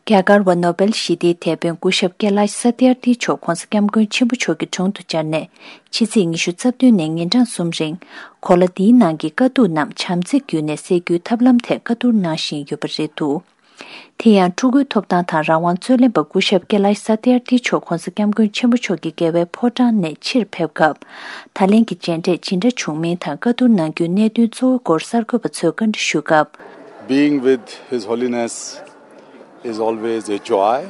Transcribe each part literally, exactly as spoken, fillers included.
རྒྱ་གར་བ་ནོ་བེལ་ཞི་བདེའི་དེད་དཔོན་སྐུ་ཞབས་ཀེ་ལཱཤ་ས་ཏི་ཨར་ཐིའི་མཆོག་༧གོང་ས་༧སྐྱབས་མགོན་ཆེན་པོ་མཆོག་གི་དྲུང་དུ་བཅར་ནས་ཕྱི་ཚེས་ཉི་ཤུ་རྩ་བདུན་ནས་ཉིན་གྲངས་གསུམ་རིང་གོ་ལ་འདིའི་ནང་གི་དཀའ་སྡུག་རྣམས་བྱམས་བརྩེ་བརྒྱུད་ནས་སེལ་རྒྱུའི་ཐབས་ལམ་ཐད་བཀའ་བསྡུར་གནང་བཞིན་ཡོད་པ་རེད་འདུག་དེ་ཡང་ཕྲུ་གུའི་ཐོབ་ཐང་དང་རང་དབང་རྩོད་ལེན་པ་སྐུ་ཞབས་ཀེ་ལཱཤ་ས་ཏི་ཨར་ཐིའི་མཆོག་༧གོང་ས་༧སྐྱབས་མགོན་ཆེན་པོ་མཆོག་གི་རྒྱལ་བའི་ཕོ་བྲང་ནས་ཕྱིར་ཕེབས་སྐབས། ད་ལན་གྱི་མཇལ་འཕྲད་ཇི་འདྲ་བྱུང་མིན་དང་བཀའ་བསྡུར་གནང་རྒྱུའི་གནད་དོན་གཙོ་བོའི་སྐོར་གསར་འགོད་པ་ཚོས་བཀའ་འདྲི་ཞུས་སྐབས། Being with His Holiness is always a joy.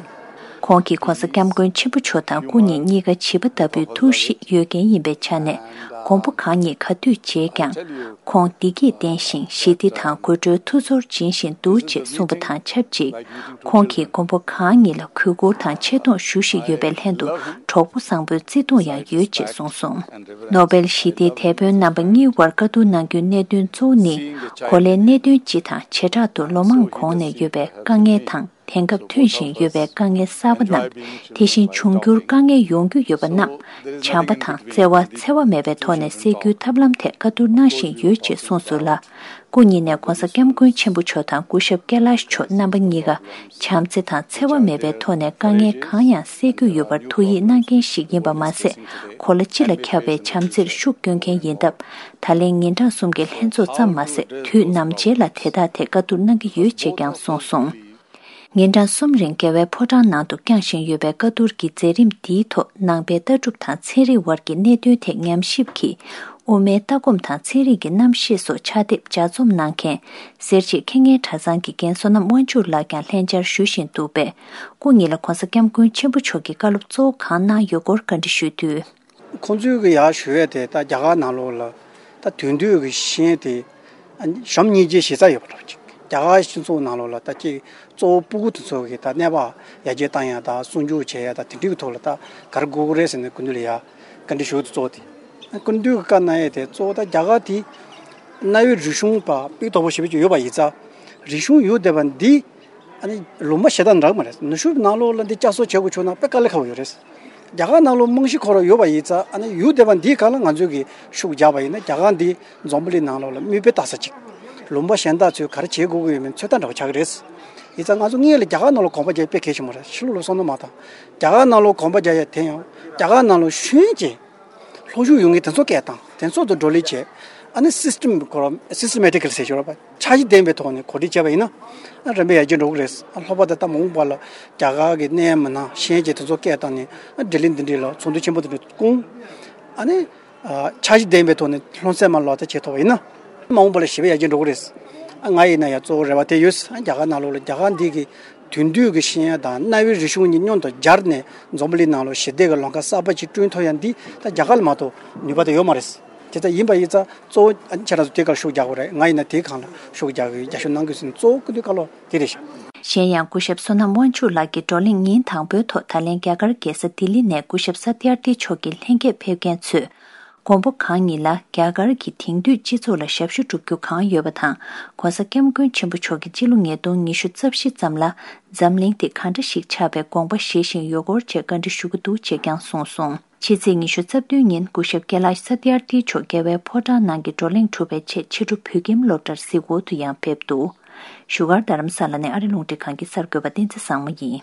ཁོང་གིས་༧གོང་ས་༧སྐྱབས་མགོན་ཆེན་པོ་མཆོག་དང་སྐུ་ཉིད་གཉིས་ཀ་བྱིས་པ་ལྟ་བུའི་ཐུགས་གཤིས་ཡོད་མཁན་ཡིན་པའི་ཆ་ནས་དགོངས་པ་གང་ཉིད་ག་དུས་བརྗེད་ཀྱང་། ཁོང་བདེ་སྐྱིད་ལྡན་ཞིང་ཞི་བདེ་དང་དགོད་བྲོའི་ཐུགས་ཚོར་སྦྱིན་བཞིན་འདུག་ཅེས་གསུངས་པ་དང་ཆབས་ཅིག་ཁོང་གིས་མགོན་པོ་གང་ཉིད་ལ་གུས་བཀུར་དང་ཆེ་མཐོང་ཞུ་བཞིན་ཡོད་པའི་ལྷན་དུ་གྲོགས་པོ་བཟང་པོའི་བརྩེ་དུང་ཡང་ཡོད་ཅེས་གསུངས་སོང་། ནོ་བེལ་ཞི་བདེའི་དེད་དཔོན་རྣམ་པ་གཉིས་བར་བཀའ་བསྡུར་གནང་རྒྱུའི་གནད་དོན་གཙོ་བོ་ནི་གོ་ལའི་གནད་དོན་སྤྱི་དང་བྱེ་བྲག་ཏུ་ལོ་མང་གོང་ནས་ཡོད་པའི་དཀའ་ངལ་དང་། དེང་སྐབས་ཐོན་བཞིན་ཡོད་པའི་དཀའ་ངལ་གསར་པ་རྣམས། དེ་བཞིན་འབྱུང་འགྱུར་དཀའ་ངལ་ཡོང་རྒྱུ་ཡོད་པ་རྣམས། བྱམས་པ་དང་བརྩེ་བ་འཚེ་བ་མེད་པའི་ཐོག་ནས་སེལ་རྒྱུའི་ཐབས་ལམ་ཐད་བཀའ་བསྡུར་གནང་བཞིན་ཡོད་ཅེས་གསུངས་སོང་ལ། སྐུ་ཉིད་ནས་༧གོང་ས་༧སྐྱབས་མགོན་ཆེན་པོ་མཆོག་དང་སྐུ་ཞབས་ཀེ་ལཱཤ་མཆོག་རྣམ་པ་གཉིས་ཀ་བྱམས་བརྩེ་དང་འཚེ་བ་མེད་པའི་ཐོག་ནས་དཀའ་ངལ་གང་ཡང་སེལ་རྒྱུ་ཡོད་པར་ཐུགས་ཡིད་གནང་མཁན་ཞིག་ཡིན་པ་མ་ཟད། གོ་ལ་སྤྱི་ལ་ཁྱབ་པའི་བྱམས་བརྩེར་ཤུགས་སྐྱོན་མཁན་ཡིན་སྟབས། ད་ལན་ཉིན་གྲངས་གསུམ་གྱི་ལྷན་ཚོགས་ཙམ་མ་ཟད། དུས་ནམ་མཇལ་ལ་དེ་དག་ཐད་བཀའ་བསྡུར་གནང་གི་ཡོད་ཅེས་ཀྱང་གསུངས་སོང་། ཉིན་གྲངས་གསུམ་རིང་རྒྱལ་བའི་ཕོ་བྲང་ནང་དུ་བསྐྱངས་བཞིན་ཡོད་པའི་བཀའ་བསྡུར་གྱི་མཛད་རིམ་འདིའི་ཐོག་ནང་པའི་ལྟ་གྲུབ་དང་ཚན་རིག་དབར་གྱི་གནད་དོན་ཐད་ཉམས་ཞིབ་ཀྱིས་དབུ་མའི་ལྟ་སྒོམ་དང་ཚན་རིག་གི་རྣམ་བཤད་སོགས་ཕྱག་དེབ་ལྗགས་རྩོམ་གནང་མཁན་སེར་བྱེས་མཁས་སྙན་གྲྭ་ཚང་གི་རྒན་བསོད་ནམས་དབང་ཕྱུག་ལགས་ཀྱང་ལྷན་བཅར་ཞུ་བཞིན་འདུག་པས། སྐུ་ཉིད་ལ་༧གོང་ས་༧སྐྱབས་མགོན་ཆེན་པོ་མཆོག་གིས་བཀའ་སློབ་གཙོ་བོ་གང་གནང་ཡོད་སྐོར་བཀའ་འདྲི་ཞུས་དུས། ཁོང་ཚོའི་གི་ཡར་ཞུ་ཡས་དེ་ད་རྒྱ་གར་ནང་ལོགས་ལ་ད་དེང་དུས་ཀྱི་ཤེས་ཡོན་དེ་ཨ་ནི་གཞོན་སྙིང་རྗེ་གཞི་རྩ་ཡོད་པ་འདྲ་པོ་ཅིག་རྒྱ་གར་སྤྱི་ཚོགས་ནང་ལོགས་ལ་ད་ཅིག་གཙོ་བོ་སྤུ་གུ་དེ་ཚོ་གི་ད་གནས་བབ་ཡར་རྒྱས་བཏང་ཡ་ད་སྲུང་སྐྱོབ་བྱེད་ཡ་ད་དེ་འདྲའི་གི་ཐོག་ལ་ད་ག་རེ་དགོས་ཀྱི་རེད་ཟེར་ནས་སྐུ་མདུན་ལ་ཡ་བཀའ་འདྲི་ཞུ་དུས་གཙོ་བོ་དེ་སྐུ་མདུན་གི་བཀའ་གནང་ཡས་དེ་གཙོ་བོ་ད་རྒྱ་གར་དེ་གནའ་བོའི་རིག་གཞུང་པ་སྤུས་དག་པོ་ཞེ་པོ་ཅིག་ཡོད་པ་ཡིན་ཙང་རིག་གཞུང་ཡོད་བསྡད་པ་འདི། ཨ་ནི་ལུང་པ་གཞན་དག་འདྲ་མ་རེད། ནུབ་ཕྱོགས་ནང་ལོགས་ལ་འདི་བསྐྱར་གསོ་བྱེད་དགོས་བྱུང་ན་དཔེ་དཀའ་ལས་ཁག་པོ་ཡོད་རེད། རྒྱ་གར་ནང་ལོགས་རྨང་གཞི་ཁོ་རང་ཡོད་པ་ཡིན་ཙང་ཨ་ནི་ཡོད་བསྡད་པ་འདིའི་སྒང་ལ་ང་ཚོས་ཀྱི་ཤུགས་རྒྱག་པ་ཡིན་ན་རྒྱ་གར་འདི་འཛམ་བུ་གླིང་ནང་ལོགས་ལ་མིག་དཔེ་ལྟ་ས་ཅིག་ལུང་པ་གཞན་དག་ཚོས་ག་རེ་བྱེད་དགོས་ཀྱི་ཡོད་མེད་ཚོད་ལྟ་འདྲ་པོ་ཆགས་ཀྱི་རེད། ཡིན་ཙང་ང་ཚོ་སྔོན་ལ་རྒྱ་གར་ནང་ལོགས་གོམ་པ་རྒྱག་དཔེ་གལ་ཆེན་པོ་རེད། ཕྱི་ལོགས་ལ་སོང་ན་མ་དང་རྒྱ་གར་ནང་ལོགས་གོམ་པ་རྒྱག་ཡ་དེ་ཡང་རྒྱ་གར་ནང་ལོགས་ཤེས་ཡོན་ཅན། སློབ་ཕྲུག་ཡོང་མཁན་དེ་ཚོ་སྐད་བཏང་། དེ་ཚོ་དང་བགྲོ་གླེང་བྱས། ཨ་ནི་སིས་ཊེམ་ཁོ་རང་སིས་ཊེ་མེ་ཊི་ཀལ་ཟེར་ཞོར་བ་འཆར་གཞི་ལྡན་པའི་ཐོག་ནས་གོ་སྒྲིག་བྱས་པ་ཡིན་ན། ཨ་རིམ་པས་ཡར་རྒྱས་འགྲོ་གི་རེད། ཨ་ལྷག་པར་དུ་ད་མ་འོངས་པ་ལ་རྒྱ་གར་གྱི་གནད་ཡོད་མི་སྣ་ཤེས་ཡོན་ཅན་དེ་ཚོ་སྐད་བཏང་ནས་ཨ་བགྲོ་གླེང་འདི་འདྲ་ལ་ཚོགས་འདུ་ཆེན་པོ་དེ་འདྲ་བསྐོང་། ཨ་ནི་ཨ་འཆར་གཞི་ལྡན་པའི་ཐོག་ནས་སློབ་ཚན་མ་ལག་བསྟར་བྱེད་ཐུབ་པ་ཡིན་ན། མ་འོངས་པ་ལ་ཞེ་པོ་ཡར་རྒྱས་འགྲོ་གི་རེད། ཨ་ང་ཡིན་ན་ཡང་གཙོ་བོ་རེ་བ་དེ་ཡོད། ཨ་རྒྱ་གར་ནང་ལོགས་ལ་རྒྱ་གར་འདི་གི་དེང་དུས་ཀྱི་ཤེས་ཡོན་དང་གནའ་བོའི་རིག་གཞུང་གཉིས་མཉམ་དུ་སྦྱར་ནས་འཛམ་བུ་གླིང་ནང་ལ་ཞི་བདེ་གི་ལམ་ཁ་གསར་པ་ཅིག་བསྐྲུན་ཐུབ་ཡ་འདི་ད་རྒྱ་གར་ལ་མ་གཏོགས་ནུས་པ་དེ་ཡོད་མ་རེད། དེ་ལྟར་ཡིན་པ་ཡིན་ཙང་གཙོ་བོ་ཁྱེད་རང་ཚོ་དེ་གར་ཤུགས་རྒྱག་དགོས་རེད། ང་ཡིན་ན་དེའི་སྒང་ལ་ཤུགས་རྒྱག་གི་ཡོད། རྒྱབ་སྐྱོར་གནང་དགོས་ཟེར་ནས་གཙོ་བོ་སྐུ་མདུན་བཀའ་སློབ་དེ་རེད་ཤག་གཞན་ཡང་སྐུ་ཞབས་བསོད་ནམས་དབང་ཕྱུག་ལགས་ཀྱིས་བགྲོ་གླེང་ཉིན་དང་པོའི་ཐོག་ད་ལན་རྒྱ་གར་རྒྱལ་ས་ལྡི་ལི་ནས་སྐུ་ཞབས་ས་ཏི་ཨར་ཏི་མཆོག་གི་ལྷན་རྒྱས་ཕེབས་མཁན་ཚོས། མགོན་པོ་གང་ཉིད་ལ་རྒྱ་གར་གྱི་དེང་དུས་སྤྱི་ཚོགས་ལ་ཞབས་ཞུ་སྒྲུབ་རྒྱུ་གང་ཡོད་པ་དང་། ྋགོང་ས་ྋསྐྱབས་མགོན་ཆེན་པོ་མཆོག་གིས་སྤྱི་ལོ་ཉིས་སྟོང་ཉི་ཤུ་རྩ་བཞི་ཙམ་ལ་འཛམ་གླིང་དེ་གང་འདྲ་ཞིག་ཆགས་པའི་དགོངས་པ་བཞེས་བཞིན་ཡོད་སྐོར་བཅས་བཀའ་འདྲི་ཞུ་གི་འདུག་ཅེས་ཀྱང་གསུངས་སོང་། ཕྱི་ཚེས་ཉི་ཤུ་རྩ་བདུན་ཉིན་སྐུ་ཞབས་ཀེ་ལཱཤ་ས་ཏི་ཨར་ཏི་མཆོག་རྒྱལ་བའི་ཕོ་བྲང་ནང་གི་བགྲོ་གླེང་གྲུབ་པའི་ཆེད་ཕྱི་དྲོ་བོད་ཁྱིམ་སློབ་གྲྭར་གཟིགས་སྐོར་དུ་ཡང་ཕེབས་འདུག་བཞུགས་སྒར་རྡ་རམ་ས་ལ་ནས་ཨ་རི་རླུང་འཕྲིན་ཁང་གི་གསར་འགོད་པ་བསྟན་འཛིན་བཟང་མོ་ཡིན།